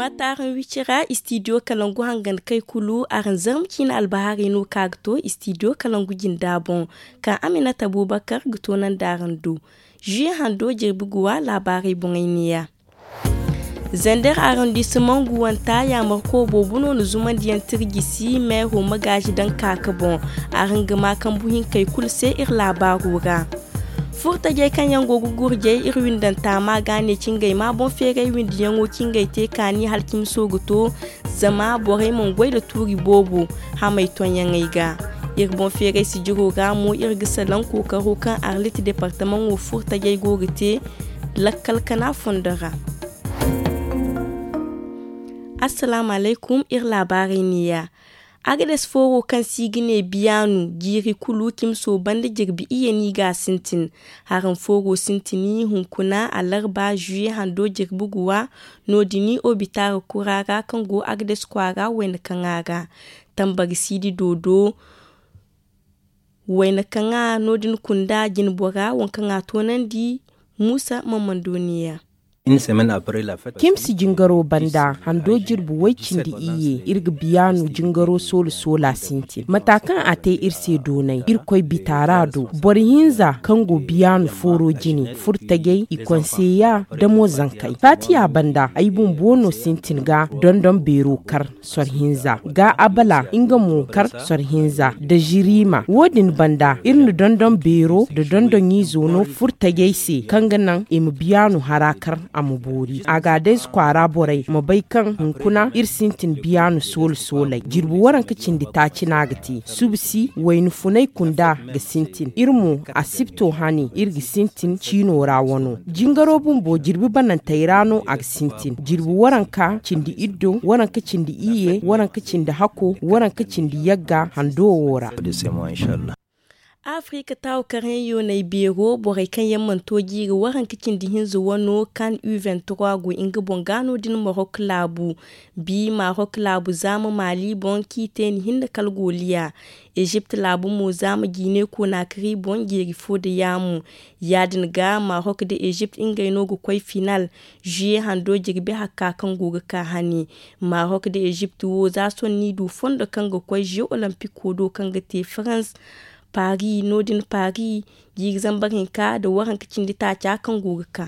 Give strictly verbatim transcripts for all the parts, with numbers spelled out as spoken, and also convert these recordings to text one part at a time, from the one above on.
Ataaraŋ wicira istidiyo kalangu hangan kay kulu araŋ zarma ciina albahaarey no ka ga to istidiyo kalangu jinda boŋ, ka aminata abubakar ga to nandi araŋ do. Zuye hando jirbi guwa laabaarey boŋey neeya. Zander arondisimaŋ guwanta yaamarko boobo no na zumandiyaŋ tirjisi meero magaazi daŋ ka ka boŋ. Araŋ ga ma kambu hinkey kulu se iri laabaaro ra. Furtajey kaŋ yaŋ go ga gurjey iri windanta ma ga ne cingey ma boŋ feeray windiyaŋo cingey te kaani hala cimi soogu to. Zama borey mana goy nda tuuri boobo hamey tonyaŋey ga. Iri boŋ feeray sijiro ra mo iri ga salaŋ kookaro kaŋ arlit departamaŋo furtajey go ga te lakkal kana fondo ra. Assalaamu alaykum, iri laabaarey neeya. Agades fooro kaŋ se i ga ne biyaanu jiiri kulu cimso banda jirbi iyye no i ga a sintin. Haraŋ fooro sintini hunkuna alarba zuye hando jirbi guwa. No- din obitaara kura ra kaŋ go agades kwaara wayna kaŋa ra. Tambari siidi doodo wayna kaŋa no- din kunda jinbora waŋ kaŋ a toonandi. Muusa mammando neeya. Kimsi jingaro banda hando jirbi way-cindi iyye iri ga biyaanu jingaro soola soola sintin mata kaŋ a te iri se doonay irkoy bitaara do. Boro hinza kaŋ go biyaanu fooro jine furtajey i konseya da mo zankey saatiya banda ay bumbo no sintin ga dondon beero kar sor hinza ga abala nga mo kar sor hinza da ziriima wo- din banda iri na dondon beero nda dondon izo no furtajey se kaŋ ga naŋ i ma biyaanu hara kar a ma boori a ga a day kwaara borey ma bay kaŋ hunkuna iri sintin biyaanu soola soolay jirbi waranka cindi taaci no a ga te subsi wayna funay kunda ga sintin iri mo asibto hane iri ga sintin ciino ra wano jingaro bumbo jirbi banantey ra no a ga sintin jirbi waranka cindi iddo waranka cindi iyye waranka cindi hako waranka cindi yagga hando wo ra. Afirika taawu karyaŋ yoonay beero borey kaŋ yaŋ mana to jiiri waranka cindi hinza wano kan u vingt-trois go nga boŋ ga no- din marok laabu. Bi marok laabu zaama maali boŋ kaŋ i te ni hinne kala goliya. Ezipt laabu mo zaama jiine konaakari boŋ jeeri fo nda yaamu. Ya- din ga marok nda ezipt ngey no ga koy final. Zuye hando jirbi hakka kaŋ go ga ka hane. Marok nda ezipt wo za sohõ ni du fondo kaŋ ga koy zuye olimpiko do kaŋ ga te farans. Paris no- din paris jiiri zambar hinka nda waranka cindi taaca kaŋ go ga ka.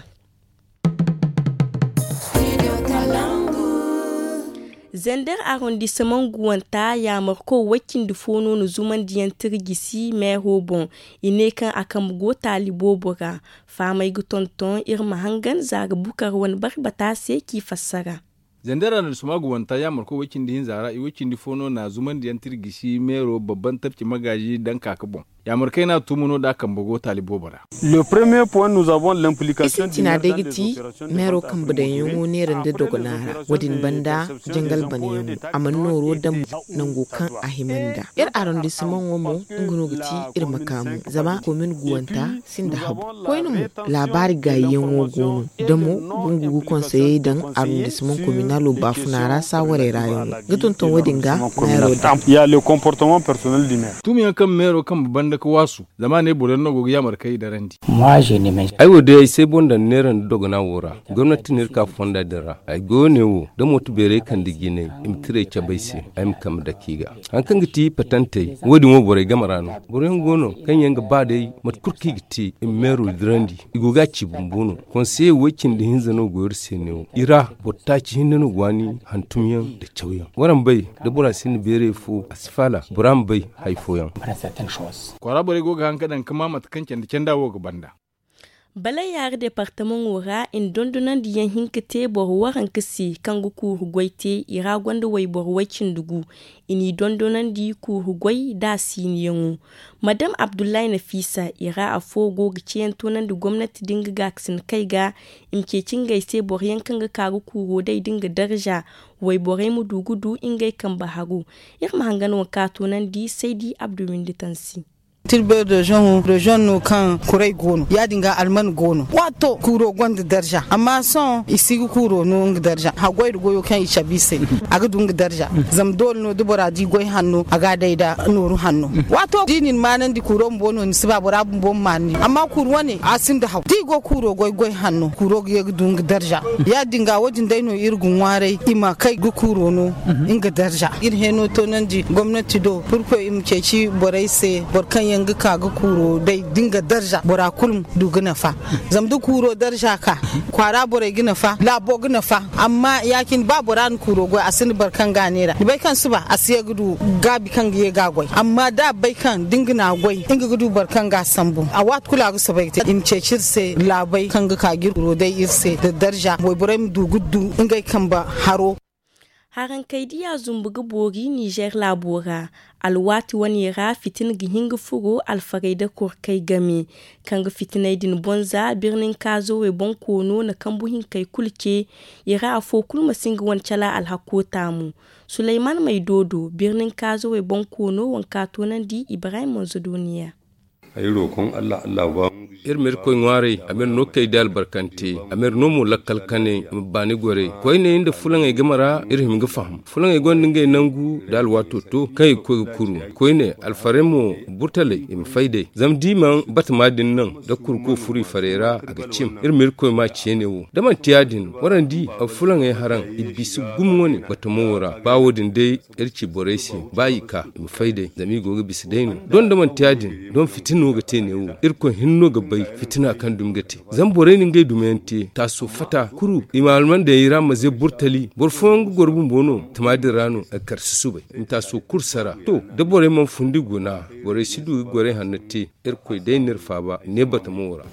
Zander arondisimaŋ guwanta yaamarko way-cindi fo no na zumandiyaŋ tirjisi meero boŋ. I ne kaŋ a kambe go taali boobo ra. Fahamey ga tonton iri ma hangan za ga bukar wane barbata se k'i fassara. Zander arondisimaŋ guwanta yaamarko way-cindi hinza ra i way-cindi fo no na zumandiyaŋ tirjisi meero babban tabci magaazi daŋ ka ga boŋ. Yaamarkey no a tumu no da a kambe go taali boobo ra. Isintina day ga ti meero kambe daŋyaŋo neera nda dogona ra wo- din banda jangal banyaŋo a mana nooro daŋ nango kaŋ a hima nd'a. Iri arondisimaŋo mo nga no ga ti iri makaamu zama komin guwanta sinda habu. Koyne mo laabaari gaayiyaŋo go no da mo gungu ga konseyey daŋ arondisimaŋ kominalo baafuna ra saawarey ra yaŋo ga tonton wo- din ga meero daŋ. Tumiyaŋ kaŋ meero kambe banda ga waasu zama a ne boro yaŋ no go ga yaamarkey darandi. Ay wo day ay say boŋ daŋ neera nda dogona wo ra. Gomnati no iri ka fonda din ra ay goyo ne wo da mooto beerey kande jinay i ma tirey cabe ay se. Ay ma kambe dake i ga hari kaŋ ga ti patantey wo- din wo borey game ra no. Boro yaŋ go no kaŋ yaŋ ga ba day mate kulu kaŋ i ga te i ma meero dirandi. I go ga a ci bumbo no. Konseye way-cindi hinza no go iri se neewo i ra boro taaci hinne no go waani hantumyaŋ nda cawyaŋ waraŋ bay da bora sinda beeray fo a si faala bora ma bay. Hari fooyaŋ. Kwaara borey go ga haŋ ga daŋ ga ma mate kaŋ candi canda wo ga banda. Balay yaari departamaŋo ra i na dondonandiyaŋ hin ga te boro waranka se kaŋ ga kuuru goy te i ra gonda wayboro way-cindi gu. I n'i dondonandi kuuru goy da a siiniyaŋo. Madam abdullahi nafiisa i ra afo go ga ceeyaŋ toonandi gomnati da nga gaakasinakey ga i ma ceeci ngey se boro yaŋ kaŋ ga ka ga kuuro day da nga darza. Wayborey ma du ga du ngey kambe haro. Iri ma hangan waŋ kaŋ a toonandi saydi abdu windi tansi. Tilber reziyoŋo reziyoŋ no kaŋ kuray go no ya- din ga alman go no waato kuuro gonda darza amma sohõ i si ga kuuro no nga darza haggoy nda goyo kaŋ i cabe i se. A ga du nga darza zama doole no da bora di goy hanno a ga a day nda nooru hanno. Waato da i na ni maanandi kuuro bumbo no ni si ba bora bumbo ma maanandi amma kuuru wane a sinda haw da i go kuuro goy goy hanno kuuro ga ye ga du nga darza. Ya- din ga wo- din day no iri ga ŋwaaray i ma kay ga kuuro no nga darza. Iri hẽeno toonandi gomnati do purkoy i ma ceeci borey se boro kaŋ yaŋ ga ka ga kuuro day da nga darza bora kulu ma du ga nafa. Zama da kuuro darza ka kwaara borey ga nafa laabo ga nafa. Amma ya- cine ba bora na kuuro goy a sinda boro kaŋ ga a neera ni bay kaŋ suba a si ye ga du gaabi kaŋ ga ye ga a goy amma da a bay kaŋ da nga na a goy nga ga du boro kaŋ ga a sambu a waati kulu a ga soobay ga te i ma ceeci iri se laabey kaŋ ga ka ga iri kuuro day iri se nda darza wayborey ma du ga du ngey kambe haro. Harankey diya zumbu ga boori nizer laabo ra. Alwaati wane ra fitina ga hin ga furo alfarey nda korkey game kaŋ ga fitiney din boŋ za birnin kaazawey boŋ koono na kambu hinkey kulu ce. I ra afo kulu ma si nga wane cala alhakko taamu. Sulayman may doodo birnin kaazawey boŋ koono waŋ ka toonandi ibrahim manzo dooniya. Iri ma irkoy ŋwaaray a ma iri no kay da albarkante a ma iri no mo lakkal kane i ma baani goray koyne nda fulaŋey game ra iri hima ga faham fulaŋey gonda ngey nangu nda alwaato to kaŋ i ga koy ga kuru. Koyne alfarey mo burtaley i ma fay day zama da i mana batama din naŋ da kurko furo i farey ra a ga cim. Iri ma irkoy ma ceene wo da manti ya- din waraŋ di fulaŋey haraŋ i bisa gumo wane batamo wo ra ba wo- din day iri ci borey se ba i ka i ma fay day zama i go ga bisa day no. Doŋ da manti ya- din doŋ fitina no ga te neewo irkoy hinne no ga bay fitina kaŋ dumi ga te. Zama borey na ngey dumiyaŋ te taaso fata kuru i ma almandayaŋ i ra ma ze burtali boro fooyaŋ ga goro bumbo no tama din ra no a ga kar susubay i ma taaso kuru sara. To da borey mana fundi guna borey si du ga gorey hanno te. Irkoy day no iri faaba ne batamo wo ra.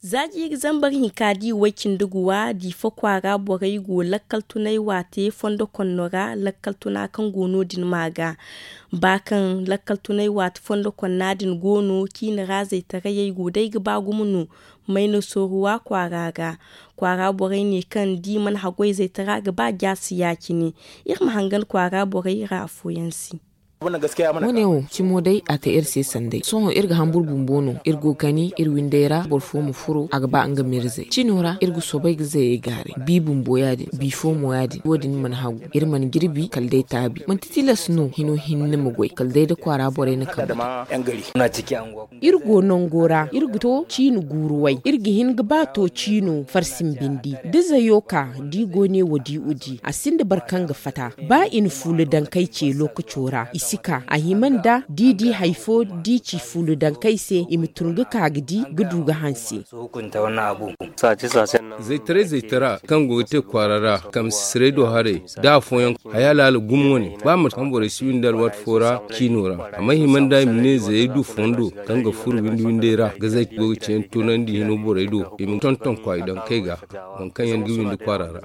Za jiiri zambar hinka di way cindi guwa diifa kwaara borey go lakkal tunay waate fondo konno ra lakkal tuna kaŋ go no- din ma ga ba kaŋ lakkal tunay waate fondo konna din go no ciini ra zaytarayey go day ga ba gumo no. Mayna sooruwa kwaara ra kwaara borey ne kaŋ di mana haggoy zaytara ga ba jaasi ya- cine. Iri ma hangan kwaara borey ra afooyaŋ se. Wane wo cimo day a te iri se sanday sohõ iri ga hambur bumbo no iri go ga kani iri windey ra boro fo ma furo a ga ba nga ma iri zay cino ra iri ga soobay ga zayey gaaray bi bumbo ya- din bi fo mo ya- din wo- din mana hagu iri mana jirbi kala day taabi manti tilas no hino hinne ma goy kala day da kwaara borey na kamba. Iri go nango ra iri ga to ciini guuru way iri ga hin ga ba to ciino farsin bindi da zayo ka da i go ne wa di udi a sinda boro kaŋ ga fata. Ba i na fuula dankey ce lookaco ra i si ka a hima nda da i di hari fo da i ci fuula dankey se i ma tun ga ka ga di ga du ga hanse. Zaytaray zaytara kaŋ go ga te kwaara ra kamsisirey do haray da afooyaŋ haya laala gumo wane ba mate kaŋ borey si windi alwaati fo ra ciino ra a ma hima nda i ma ne zayey du fondo kaŋ ga furo windi windey ra ga zay go ga ceeyaŋ toonandi hino borey do i ma tonton kwaay dankey ga waŋ kaŋ yaŋ ga windi kwaara ra.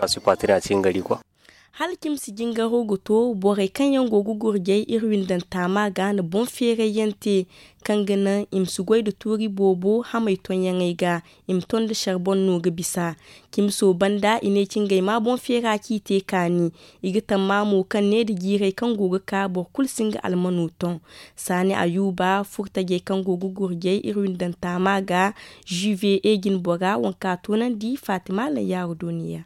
Hala cimi si jingaro ga to borey kaŋ yaŋ go ga gurjay iri windanta ma ga na boŋ feerayyaŋ te kaŋ ga naŋ i ma si goy nda tuuri boobo hamey tonyaŋey ga i ma ton nda sarbon no ga bisa. Cimi sooba nda i ne ci ngey ma boŋ feera ci i te kaani. I ga tamma mo kaŋ ne nda jiirey kaŋ go ga ka boro kulu si nga almano ton. Saani ayuba furtajey kaŋ go ga gurjay iri windanta ma ga juve ejin bora waŋ ka toonandi fatima layyaaru dooniya.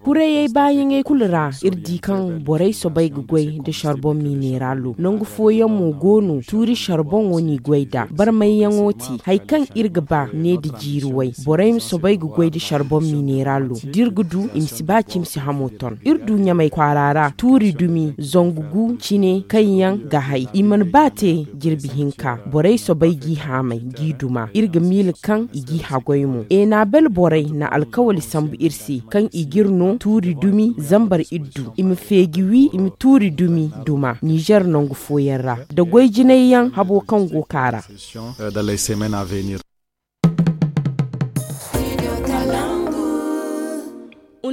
Kurayey baayaŋey kulu ra iri di kaŋ borey soobay ga goy nda sarbon mineralo nangu fooyaŋ mo go no tuuri sarbon wo n'i goy nd'a barmayyaŋo te hari kaŋ iri ga ba ne nda jiiri way borey ma soobay ga goy nda sarbon mineralo da iri ga du i ma si ba cimi si hamo ton iri du ɲamay kwaara ra tuuri dumi zangu gu cine kaŋ yaŋ ga hay i mana ba te jirbi hinka borey soobay g'i haamay g'i duma iri ga miila kaŋ i g'i haggoy mo enabel borey na alkawali sambu iri se kaŋ i g'iri no tuuri dumi zambar iddu i ma feeji wi i ma tuuri dumi duma nizer nangu fooyaŋ ra nda goy jinay yaŋ habo kaŋ go ka ra.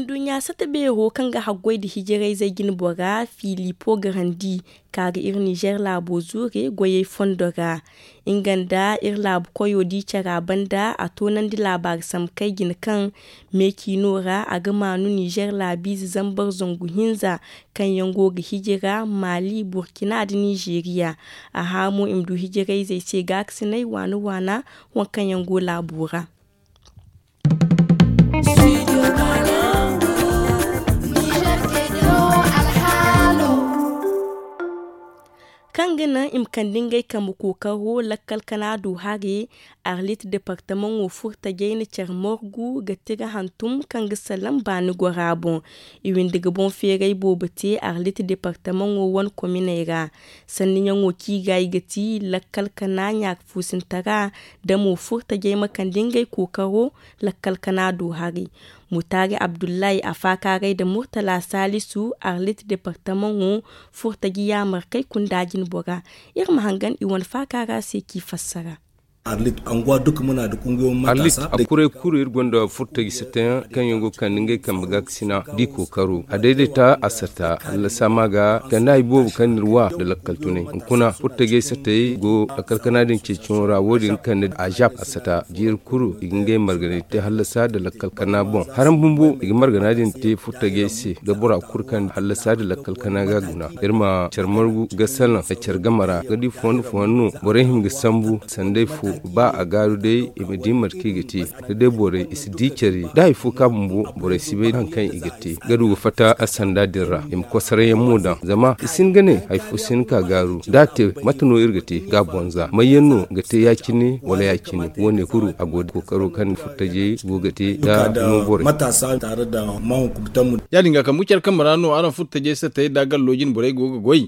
Nduɲɲa sata beero kaŋ ga haggoy nda hijirayzey jine bora filipo garandi, ka ga iri nizer laabo zuure goyey fondo ra. Nga nda iri laabu koyo di care a banda a toonandi laabaari sambu kay jine kaŋ meeciino ra a ga maanu nizer laabiize zambar zangu hinza kaŋ yaŋ go ga hijira maali burkina nda nizeeriya. A hã mo i ma du hijirayzey se gaakasinay waana waana waŋ kaŋ yaŋ go laabo ra. Kaŋ ga naŋ i ma kande ngey kambe kookaro lakkal kana du hare. Arlit departamaŋo furtajey na care margu ga tira hantum kaŋ ga salaŋ baani gora boŋ. I windi ga boŋ feeray boobo te arlit departamaŋo wane kominey ra. Sanniyaŋo kaŋ i ga i ga ti lakkal kana ɲaaka fuusintara da mo furtajey ma kande ngey kookaro lakkal kana do haray. Mutaari abdullahi a faakaaray nda murtala saalisu arlit departamaŋo furtaji yaamarkey kunda jine bora. Iri ma hangan i wane faakaara se k'i fassara. Arlit a kuray kulu iri gonda furtaji satayaŋ kaŋ yaŋ go ga kande ngey kambe gaakasina da i kookaro a dayday ta a sata hallasa ma ga kande hari boobo kaŋ n'iri wa nda lakkal tunay hunkuna furtajey satayey go lakkal kana din ceeciyaŋo ra wo- din ga kande a zap a sata jiiri kulu i ga ngey marganay te hallasa nda lakkal kana boŋ haram bumbo i ga margana din te furtajey se da bora kulu kaŋ hallasa nda lakkal kana ga guna. Iri ma care margu ga salaŋ nda care game ra ga di fondo fondo no borey hima ga sambu sanday fo ba a gaaru day i ma di mate kaŋ i ga te da day borey i si di care da hari fo ka bumbo borey si bay hari kaŋ i ga te ga du ga fatta a sanda din ra i ma kosarayaŋ mo daŋ zama i si hin ga ne hari fo si hin ka gaaru da a te mate no iri ga te ga a boŋ za may yaŋ no ga te ya- cine wala ya- cine wo- ne kulu a go da kookaro kaŋ furtajey go ga te da no borey. Ya- din ga kambe care kambe ra no araŋ furtajey satayey nda gallo jine borey go ga goy.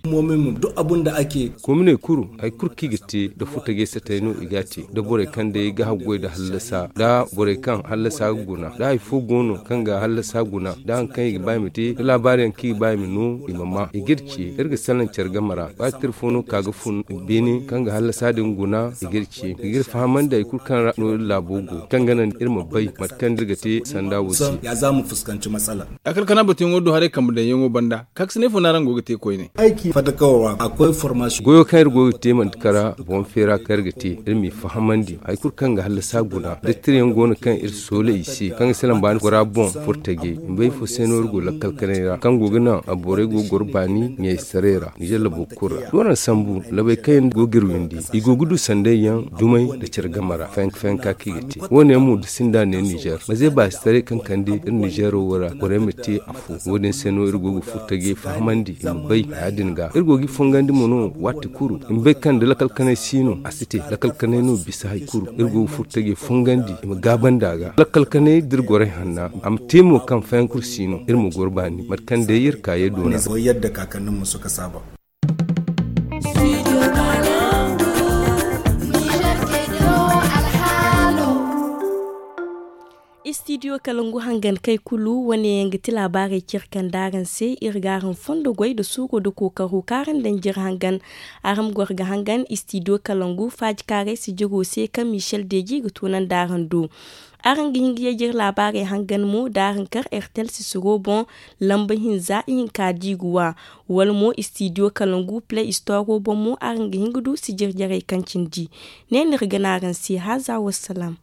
Kominey kulu hari kulu kaŋ i ga te nda furtajey satayey no i ga a te da borey kaŋ day ga haggoy nda hallasa nda borey kaŋ hallasa ga guna da hari fo go no kaŋ ga hallasa guna da hari kaŋ i ga ba i ma te da laabaari yaŋ kaŋ i ga ba i ma no i ma ma i ga iri ce iri ga salaŋ care game ra ba tira fo no ka ga fun beene kaŋ ga hallasa din guna i ga iri ce i ga iri fahamandi hari kulu kaŋ ra no iri laabo go kaŋ ga naŋ iri ma bay mate kaŋ da iri ga te sanda wo se. Lakkal kana batuyaŋo do haray kambe daŋyaŋo banda kaakasinay fo no araŋ go ga te koyne. Goyo kaŋ iri go ga te manti kara boŋ feera kaŋ iri ga te iri m'i fahamandi hari kulu kaŋ ga hallasa guna da tirayaŋ go no kaŋ iri soolay i se kaŋ ga salaŋ baani gora boŋ furtajey i ma bay ifo se no iri go lakkal kanay ra kaŋ go ga naŋ a borey go ga goro baani ɲaysaray ra nizer labo kulu ra da waraŋ sambu labey kaŋ yaŋ go ga iri windi i go ga du sanday yaŋ dumey nda care game ra fayanka fayanka kaŋ i ga te wo- ne yaŋ mo da sinda ne nizer maze baasitaray kaŋ kande iri nizero wo ra borey ma te afo wo- din se no iri go ga furtajey fahamandi i ma bay ya- din ga iri go ga i fongandi mo no waati kulu i ma bay kaŋ da lakkal kanay si no a si te lakkal kanay no bisa hari kulu iri go ga furtajey fongandi i ma gaabandi a ga lakkal kanay da iri gorey hanna a ma te mo kaŋ fayankur si no iri ma goro baani mate kaŋ day iri kaayey doona. Istidiyo kalangu hangan kay kulu wane yaŋ ga ti laabaarey care kaŋ da araŋ se iri ga araŋ fondo goy nda suuro nda kookaro kaŋ araŋ daŋ jire hangan. Araŋ ma goro ga hangan istidiyo kalangu faaji kaaray sijiro se kaŋ michel deji ga tunandi araŋ do. Araŋ ga hin ga yajir laabaarey hangan mo da araŋ kar ertel sisiro boŋ lamba hinza ihinka diiguwa wala mo istidiyo kalangu play store boŋ mo araŋ ga hin ga du sijir jarey kaŋ cindi. Ne no iri ga ne araŋ se haaza wassalam.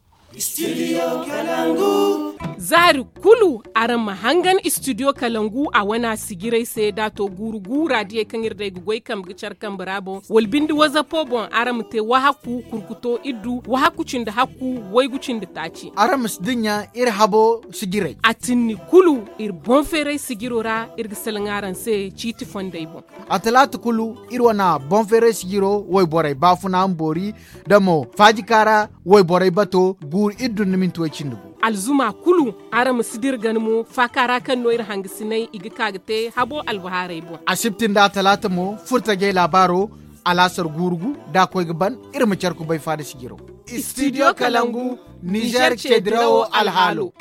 Zaari kulu araŋ ma hangan istidiyo kalangu a wane a sijirey se da a to guuru guura diyey kaŋ iri day ga goy kambe ga care kambe ra boŋ wala binde wazapo boŋ araŋ ma te wahakku kurkuto iddu wahakku cindi hakku waygu cindi taaci. Araŋ ma si dinya iri habo sijirey a tinni kulu iri boŋ feeray sijiro ra iri ga salaŋ araŋ se ciiti fondey boŋ. A talaata kulu iri wane boŋ feeray sijiro wayborey baafuna ma boori da mo faaji kaara wayborey bato guuru iddu nda minti way cindi gu. Alzuma kulu araŋ ma si dira gana mo faaka ra kaŋ no iri hangasinay i ga ka ga te habo albahaarey boŋ. Asibti nda talaata mo furtajey laabaaro alaasar guuru gu da a koy ga ban iri ma care kubay faada sijiro. Istidiyo kalangu nizer ceedirawo alhaalo.